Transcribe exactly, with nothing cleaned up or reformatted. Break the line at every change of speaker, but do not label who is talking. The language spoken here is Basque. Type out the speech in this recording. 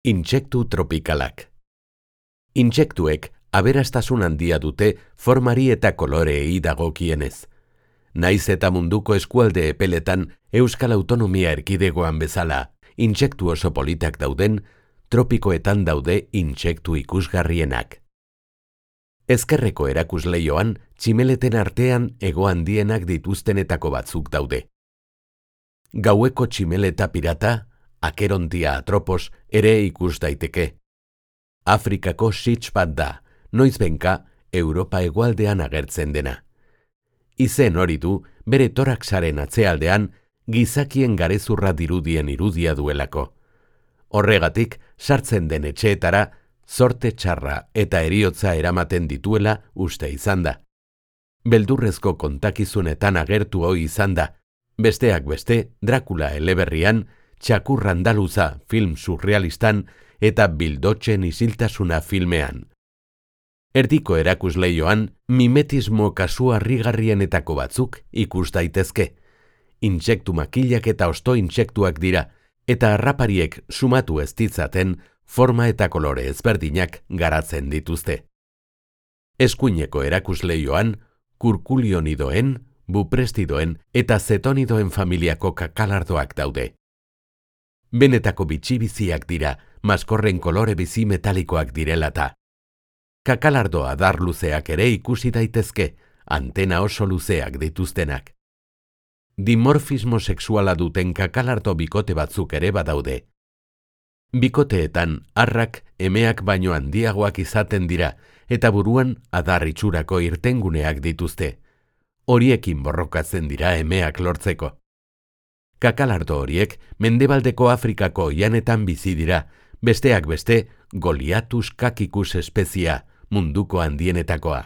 Intsektu tropikalak. Intsektuek aberastasun handia dute formari eta koloreei dagokienez. Naiz eta munduko eskualde epeletan Euskal Autonomia Erkidegoan bezala, intsektu oso politak dauden, tropikoetan daude intsektu ikusgarrienak. Ezkerreko erakusleioan, tximeleten artean hego handienak dituztenetako batzuk daude. Gaueko tximeleta pirata, akerontia atropos, ere ikus daiteke. Afrikako sitz bat da, noizbenka Europa hegoaldean agertzen dena. Izen hori du bere toraxaren atzealdean gizakien garezurra dirudien irudia duelako. Horregatik, sartzen den etxeetara, zorte txarra eta heriotza eramaten dituela uste izan da. Beldurrezko kontakizunetan agertu hoi izan da, besteak beste Drakula eleberrian, Txakur andaluza film surrealistan eta Bildotxen isiltasuna filmean. Erdiko erakusleioan, mimetismo kasu harrigarrienetako batzuk ikus daitezke. Intsektu makilak eta osto intsektuak dira, eta harrapariek sumatu ez ditzaten forma eta kolore ezberdinak garatzen dituzte. Eskuineko erakusleioan, kurkulionidoen, buprestidoen eta zetonidoen familiako kakalardoak daude. Benetako bitxibiziak dira, maskorren kolore bizi metalikoak direlata. Kakalardo adar luzeak ere ikusi daitezke, antena oso luzeak dituztenak. Dimorfismo sexuala duten kakalardo bikote batzuk ere badaude. Bikoteetan, arrak emeak baino handiagoak izaten dira, eta buruan adar itxurako irtenguneak dituzte. Horiekin borrokatzen dira emeak lortzeko. Kakalardo horiek mendebaldeko Afrikako oihanetan bizi dira, besteak beste Goliathus caquicus espezia, munduko handienetakoa.